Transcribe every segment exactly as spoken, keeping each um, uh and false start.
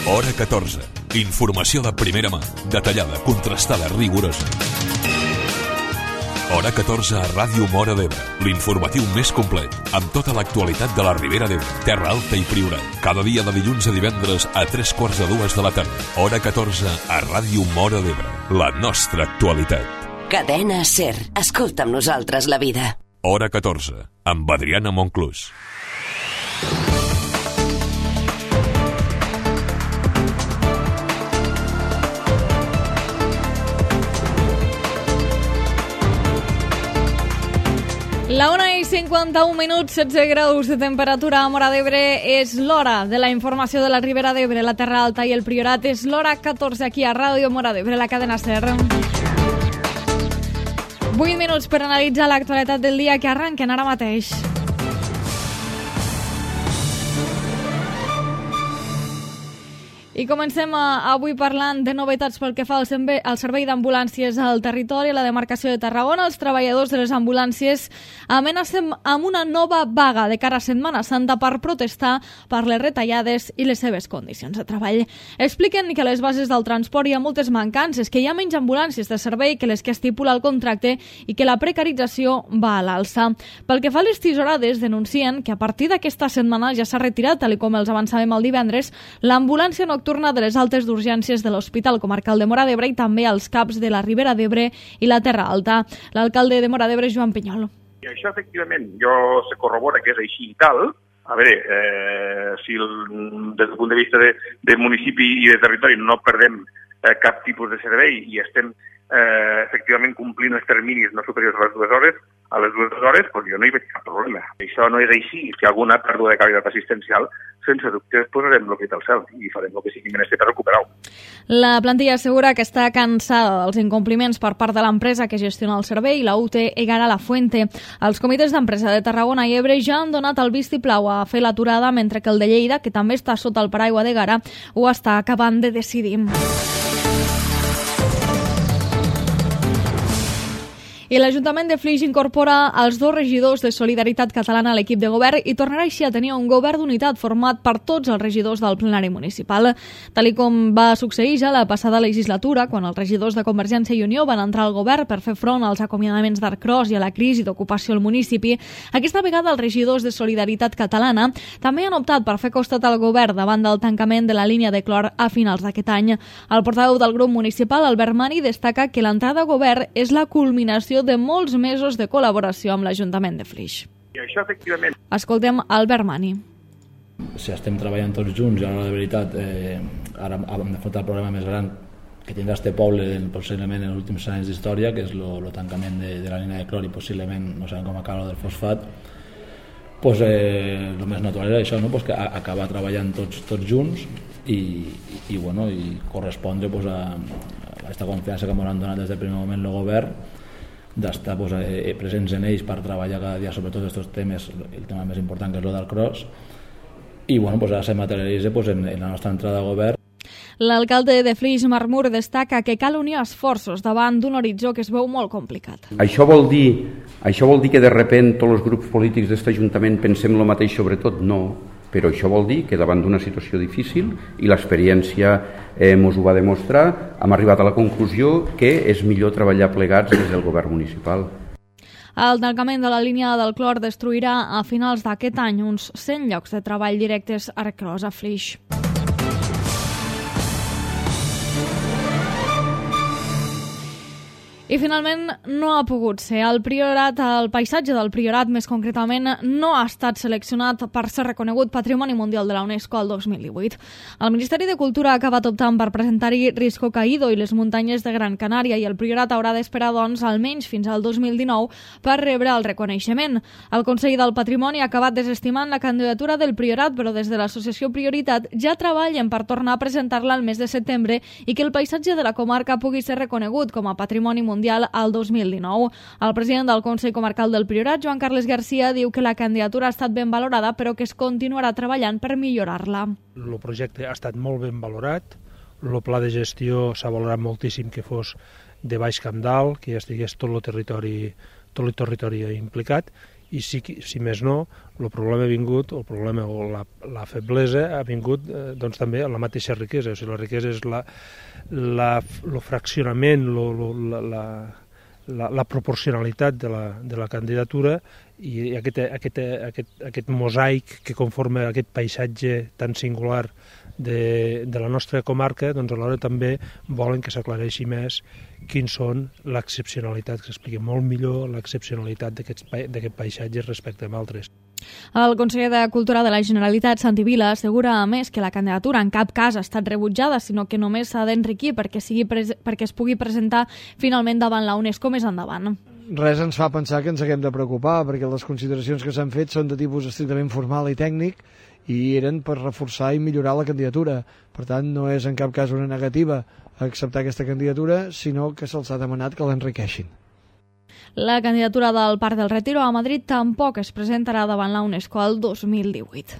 Hora catorze. Informació de primera mà, detallada, contrastada, rigorosa. Hora catorze a Ràdio Móra d'Ebre, l'informatiu més complet, amb tota l'actualitat de la Ribera d'Ebre, Terra Alta i Priorat. Cada dia de dilluns a divendres a tres quarts de dues de la tarda. Hora catorze a Ràdio Móra d'Ebre, la nostra actualitat. Cadena SER. Escolta amb nosaltres la vida. Hora catorze, amb Adriana Monclús. La una i cinquanta-un minuts, setze graus de temperatura a Móra d'Ebre. És l'hora de la informació de la Ribera d'Ebre, la Terra Alta i el Priorat. És l'hora catorze aquí a Ràdio Móra d'Ebre, la cadena SER. vuit minuts per analitzar l'actualitat del dia que arrenquen ara mateix. I comencem avui parlant de novetats pel que fa al servei d'ambulàncies al territori. A la demarcació de Tarragona, els treballadors de les ambulàncies amenacen amb una nova vaga de cara a Setmana Santa per protestar per les retallades i les seves condicions de treball. Expliquen que a les bases del transport hi ha moltes mancances, que hi ha menys ambulàncies de servei que les que estipula el contracte i que la precarització va a l'alça. Pel que fa a les tisorades, denuncien que a partir d'aquesta setmana ja s'ha retirat, tal com els avançàvem el divendres, l'ambulància nocturna de les altes d'urgències de l'Hospital Comarcal de Móra d'Ebre i també als CAPs de la Ribera d'Ebre i la Terra Alta. L'alcalde de Móra d'Ebre, Joan Pinyol. I això, efectivament, jo se corrobora que és així i tal. A veure, eh, si el, des del punt de vista de, de municipi i de territori no perdem eh, cap tipus de servei i estem eh, efectivament complint els terminis no superiors a les dues hores, a les dues hores, doncs jo no hi veig cap problema. Això no és així. Si hi ha alguna pèrdua de qualitat assistencial, sense dubte posarem el crit al cel i farem el que sigui menester per recuperar-ho. La plantilla assegura que està cansada dels incompliments per part de l'empresa que gestiona el servei, la U T Egara La Fuente. Els comitès d'empresa de Tarragona i Ebre ja han donat el vistiplau a fer l'aturada, mentre que el de Lleida, que també està sota el paraigua d'Egara, ho està acabant de decidir. I l'Ajuntament de Flix incorpora els dos regidors de Solidaritat Catalana a l'equip de govern i tornarà així a tenir un govern d'unitat format per tots els regidors del plenari municipal. Tal com va succeir ja la passada legislatura, quan els regidors de Convergència i Unió van entrar al govern per fer front als acomiadaments d'Arcros i a la crisi d'ocupació al municipi, aquesta vegada els regidors de Solidaritat Catalana també han optat per fer costat al govern davant del tancament de la línia de clor a finals d'aquest any. El portaveu del grup municipal, Albert Mani, destaca que l'entrada a govern és la culminació de molts mesos de col·laboració amb l'Ajuntament de Flix. I això, efectivament... Escoltem Albert Mani. Si estem treballant tots junts i ara, de veritat, eh, ara hem d'afrontar el problema més gran que tindrà este poble possiblement en els últims anys d'història, que és el tancament de, de la línia de clor i possiblement, no sabem com acaba del fosfat, pues, eh, el més natural és això, no? Pues que acabar treballant tots, tots junts i, i, i, bueno, i correspondre pues, a, a aquesta confiança que ens han donat des del primer moment el govern, d'estar pues, eh, presents en ells per treballar cada dia sobre tots aquests temes, el tema més important que és el del cross, i bueno, pues, ara se materialitza pues, en, en la nostra entrada a govern. L'alcalde de Flix, Marc Mur, destaca que cal unir esforços davant d'un horitzó que es veu molt complicat. Això vol dir, això vol dir que de repent tots els grups polítics d'aquest Ajuntament pensem el mateix sobre tot? No, però això vol dir que davant d'una situació difícil, i l'experiència eh, ens ho va demostrar, hem arribat a la conclusió que és millor treballar plegats des del govern municipal. El tancament de la línia del clor destruirà a finals d'aquest any uns cent llocs de treball directes a Arcros, a Flix. I finalment no ha pogut ser. El Priorat, el paisatge del Priorat, més concretament, no ha estat seleccionat per ser reconegut Patrimoni Mundial de la UNESCO el dos mil divuit. El Ministeri de Cultura ha acabat optant per presentar-hi Risco Caído i les muntanyes de Gran Canària i el Priorat haurà d'esperar, doncs, almenys fins al dos mil dinou per rebre el reconeixement. El Consell del Patrimoni ha acabat desestimant la candidatura del Priorat, però des de l'associació Prioritat ja treballen per tornar a presentar-la al mes de setembre i que el paisatge de la comarca pugui ser reconegut com a Patrimoni Mundial al dos mil dinou. El president del Consell Comarcal del Priorat, Joan Carles Garcia, diu que la candidatura ha estat ben valorada, però que es continuarà treballant per millorar-la. El projecte ha estat molt ben valorat, el pla de gestió s'ha valorat moltíssim que fos de baix camp dalt, que ja estigués tot el territori, tot el territori implicat, i si, si més no, el problema ha vingut, el problema o la, la feblesa ha vingut eh, doncs també a la mateixa riquesa. O sigui, la riquesa és la, la, el fraccionament, lo, lo, la, la, la, la proporcionalitat de la, de la candidatura i aquest, aquest, aquest, aquest mosaic que conforma aquest paisatge tan singular de, de la nostra comarca, doncs alhora també volen que s'aclareixi més quins són l'excepcionalitat, que s'expliqui molt millor l'excepcionalitat d'aquest paisatge respecte a altres. El conseller de Cultura de la Generalitat, Santi Vila, assegura a més que la candidatura en cap cas ha estat rebutjada, sinó que només s'ha d'enriquir perquè, sigui perquè es pugui presentar finalment davant la UNESCO més endavant. Res ens fa pensar que ens haguem de preocupar, perquè les consideracions que s'han fet són de tipus estrictament formal i tècnic i eren per reforçar i millorar la candidatura. Per tant, no és en cap cas una negativa a acceptar aquesta candidatura, sinó que se'ls ha demanat que l'enriqueixin. La candidatura del Parc del Retiro a Madrid tampoc es presentarà davant la UNESCO el dos mil divuit.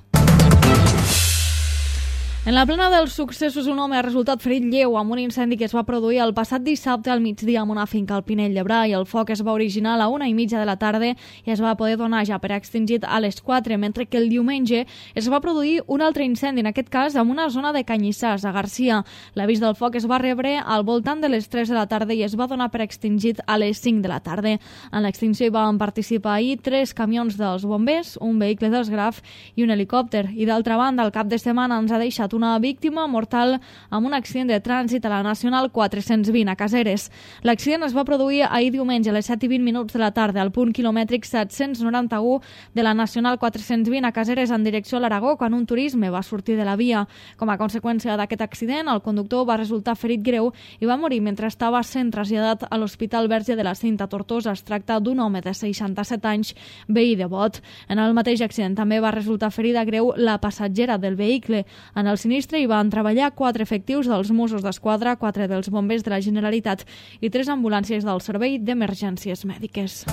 En la plena dels successos, un home ha resultat ferit lleu amb un incendi que es va produir el passat dissabte al migdia en una finca al Pinell de Brai. El foc es va originar a la una i mitja de la tarda i es va poder donar ja per extingit a les quatre, mentre que el diumenge es va produir un altre incendi, en aquest cas en una zona de Canyissars, a Garcia. L'avís del foc es va rebre al voltant de les tres de la tarda i es va donar per extingit a les cinc de la tarda. En l'extinció hi van participar ahir tres camions dels bombers, un vehicle dels Graf i un helicòpter. I d'altra banda, el cap de setmana ens ha deixat una víctima mortal amb un accident de trànsit a la Nacional quatre-cents vint a Caseres. L'accident es va produir ahir diumenge a les set i vint minuts de la tarda al punt quilomètric set-cents noranta-u de la Nacional quatre-cents vint a Caseres en direcció a l'Aragó, quan un turisme va sortir de la via. Com a conseqüència d'aquest accident, el conductor va resultar ferit greu i va morir mentre estava sent traslladat a l'Hospital Verge de la Cinta Tortosa. Es tracta d'un home de seixanta-set anys, veí de Bot. En el mateix accident també va resultar ferida greu la passatgera del vehicle. En el sinistre hi van treballar quatre efectius dels Mossos d'Esquadra, quatre dels bombers de la Generalitat i tres ambulàncies del Servei d'Emergències Mèdiques.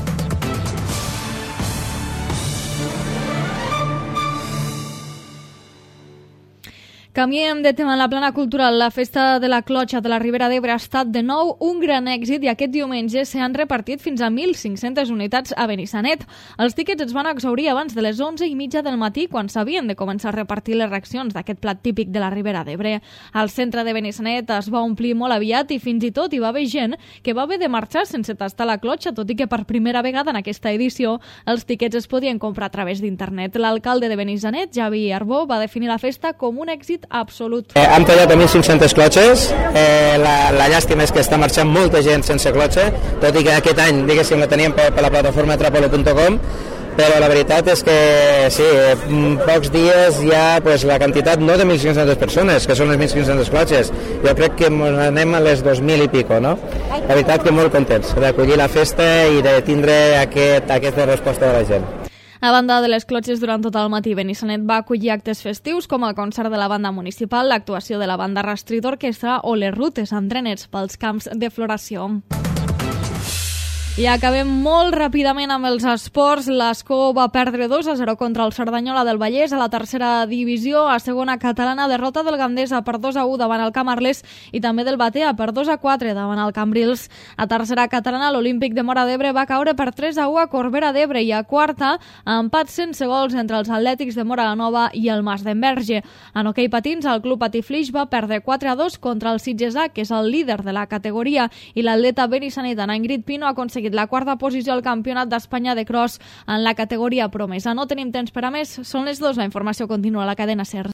Canviem de tema en la plana cultural. La festa de la Clotxa de la Ribera d'Ebre ha estat de nou un gran èxit i aquest diumenge s'han repartit fins a mil cinc-centes unitats a Benissanet. Els tíquets es van exhaurir abans de les onze i mitja del matí, quan s'havien de començar a repartir les racions d'aquest plat típic de la Ribera d'Ebre. El centre de Benissanet es va omplir molt aviat i fins i tot hi va haver gent que va haver de marxar sense tastar la clotxa, tot i que per primera vegada en aquesta edició els tíquets es podien comprar a través d'internet. L'alcalde de Benissanet, Javi Arbó, va definir la festa com un èxit absolut. Eh, hem tallat a mil cinc-centes clotxes, eh, la, la llàstima és que està marxant molta gent sense clotxa, tot i que aquest any, diguéssim, la teníem per, per la plataforma trapolo punt com, però la veritat és que sí, en pocs dies hi ha pues, la quantitat no de mil cinc-centes persones, que són les mil cinc-centes clotxes, jo crec que anem a les dos mil i pico, no? La veritat que molt contents d'acollir la festa i de tindre aquest, aquesta resposta de la gent. A banda de les clotxes, durant tot el matí, Benissanet va acollir actes festius com el concert de la banda municipal, l'actuació de la banda Rastrit Orquestra o les rutes amb trenets pels camps de floració. I acabem molt ràpidament amb els esports. L'Escó va perdre dos a zero contra el Cerdanyola del Vallès a la tercera divisió. A segona catalana, derrota del Gandesa per dos a u davant el Camarles i també del Batea per dos a quatre davant el Cambrils. A tercera catalana, l'Olímpic de Móra d'Ebre va caure per tres a u a Corbera d'Ebre i a quarta, empat sense gols entre els Atlètics de Móra la Nova i el Mas d'Enverge. En hoquei patins, el Club Patiflix va perdre quatre a dos contra el Sitges A, que és el líder de la categoria, i l'atleta benissanetana Ingrid Pino ha aconseguit la quarta posició al Campionat d'Espanya de cross en la categoria promesa. No tenim temps per a més, són les dues, la informació continua a la cadena SER.